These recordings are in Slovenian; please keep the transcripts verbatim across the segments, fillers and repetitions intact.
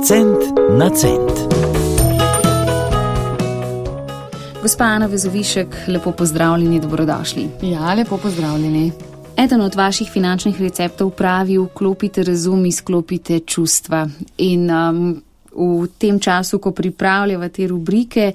Cent na cent. Gospa Ana Vezovišek, lepo pozdravljeni, dobrodošli. Ja, lepo pozdravljeni. Eden od vaših finančnih receptov pravi: vklopite razum, izklopite čustva. In um, v tem času, ko pripravljava te rubrike,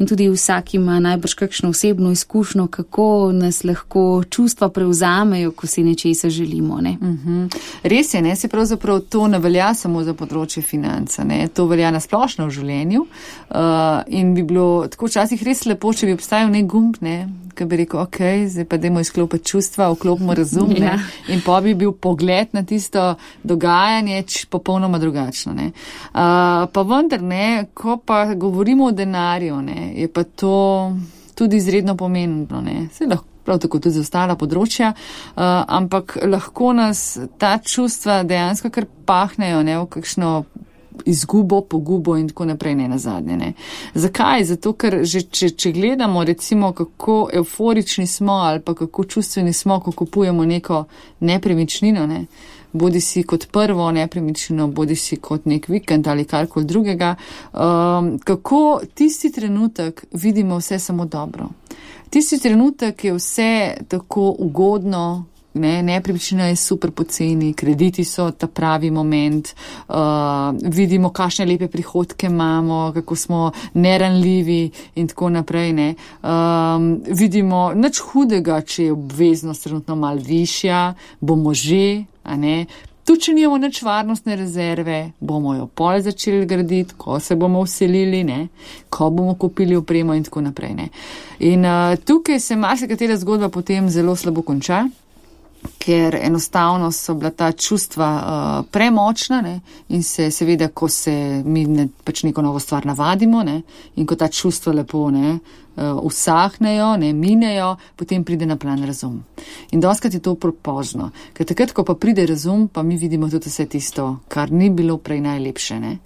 in tudi vsak ima najbrž kakšno osebno izkušnjo, kako nas lahko čustva prevzamejo, ko si nečesa želimo. Ne? Uh-huh. Res je, ne, se pravzaprav to ne velja samo za področje financa, ne, to velja na splošno v življenju uh, in bi bilo tako včasih res lepo, če bi obstajal nek gumb, ne, ki bi rekel, ok, zdaj pa dajmo izklopiti čustva, vklopimo razum, ne, ja. In pa bi bil pogled na tisto dogajanje popolnoma drugačno. Ne. Uh, pa vendar, ne, ko pa govorimo o denarju, ne, je pa to tudi izredno pomembno, ne. Se lahko prav tako tudi za ostala področja, uh, ampak lahko nas ta čustva dejansko kar pahnejo, ne, v kakšno izgubo, pogubo in tako naprej, ne nazadnje, ne. Zakaj? Zato, ker že, če, če gledamo recimo, kako euforični smo ali pa kako čustveni smo, ko kupujemo neko nepremičnino, ne, bodi si kot prvo nepremičnino, bodi si kot nek vikend ali karkoli drugega, um, kako tisti trenutek vidimo vse samo dobro. Tisti trenutek je vse tako ugodno, ne, nepremičnina je super poceni, krediti so ta pravi moment, uh, vidimo, kakšne lepe prihodke imamo, kako smo neranljivi in tako naprej, ne. Um, vidimo nič hudega, če je obveznost trenutno malo višja, bomo že, a ne. Tudi, če nimamo nič varnostne rezerve, bomo jo pol začeli graditi, ko se bomo vselili, ne, ko bomo kupili opremo in tako naprej, ne. In uh, tukaj se marsikatera zgodba potem zelo slabo konča, ker enostavno so bila ta čustva uh, premočna, ne, in se seveda, ko se mi ne, pač neko novo stvar navadimo, ne, in ko ta čustva lepo, ne, uh, usahnejo, ne, minejo, potem pride na plan razum. In doskrat je to propozno, ker takrat, ko pa pride razum, pa mi vidimo tudi vse tisto, kar ni bilo prej najlepše, ne.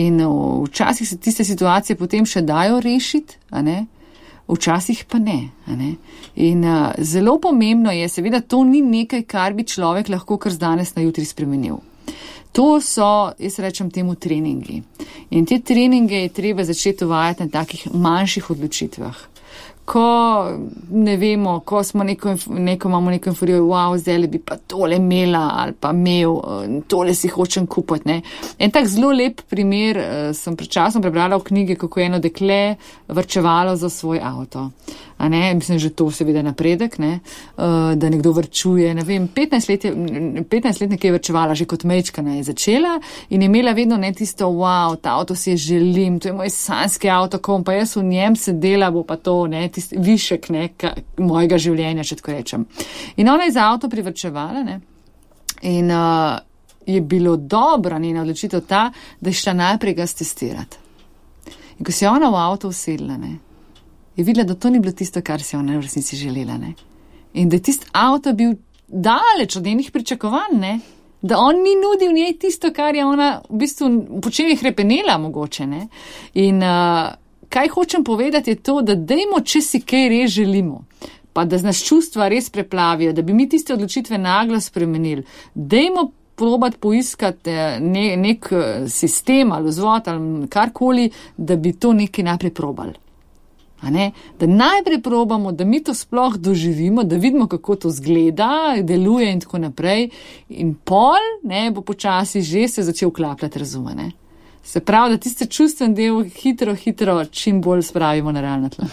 In uh, včasih se tiste situacije potem še dajo rešiti, a ne, včasih pa ne, a ne. In uh, zelo pomembno je, seveda to ni nekaj, kar bi človek lahko kar z danes na jutri spremenil. To so, jaz rečem temu, treningi. In te treninge je treba začeti uvajati na takih manjših odločitvah. Ko ne vemo, ko smo neko, neko imamo neko inforijo, wow, zdaj bi pa tole imela ali pa imel, tole si hočem kupiti, ne. En tak zelo lep primer sem pred časom prebrala v knjigi, kako je eno dekle varčevalo za svoj avto. A ne, mislim, že to seveda napredek, ne, da nekdo varčuje, ne vem, petnajst let je, petnajst let nekaj je varčevala, že kot majčkana je začela in je imela vedno ne tisto, wow, ta avto si je želim, to je moj sanjski avto, ko bom pa jaz v njem sedela, bo pa to, ne, tisti višek, ne, ka, mojega življenja, če tako rečem. In ona je za avto privarčevala, ne, in uh, je bilo dobra njena odločitev ta, da je šla najprej ga stestirati. In ko se je ona v avto usedla, ne, je videla, da to ni bilo tisto, kar si ona v resnici želela, ne. In da je tisti avto bil daleč od njenih pričakovanj, ne. Da on ni nudil njej tisto, kar je ona v bistvu po čem je hrepenela mogoče, ne. In uh, kaj hočem povedati je to, da dejmo, če si kaj res želimo, pa da nas čustva res preplavijo, da bi mi tiste odločitve naglo spremenili, dejmo probati poiskati ne, nek sistem ali vzvod ali karkoli, da bi to nekaj najprej probali. A ne? Da najprej probamo, da mi to sploh doživimo, da vidimo, kako to zgleda, deluje in tako naprej. In pol, ne, bo počasi že se začel vklapljati razume, ne. Se pravi, da tiste čustven del hitro, hitro čim bolj spravimo na realno tlo.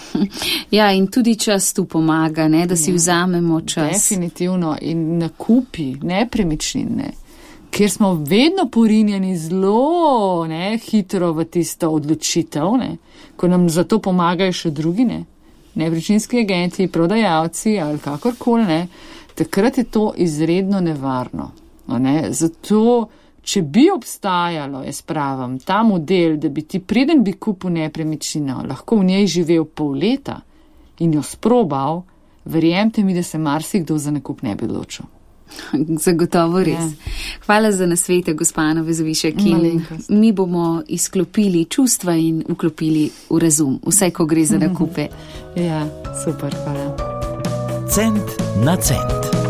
Ja, in tudi čas tu pomaga, ne, da si ja, vzamemo čas. Definitivno. In nakupi nepremičnine, kjer smo vedno porinjeni zelo, ne, hitro v tisto odločitev, ne, ko nam za to pomagajo še drugi, ne, nepremičninski agenti, prodajalci ali kakorkoli, ne, takrat je to izredno nevarno. Ne. Zato, če bi obstajalo, jaz pravim, ta model, da bi ti preden bi kupil nepremičnino, lahko v njej živel pol leta in jo sprobal, verjemite mi, da se marsikdo za nakup ne bi odločil. Zagotovo res. Ja. Hvala za nasvete, gospa Ana Vezovišek. Mi bomo izklopili čustva in vklopili v razum, vse, ko gre za nakupe. Ja, super, hvala. Cent na cent.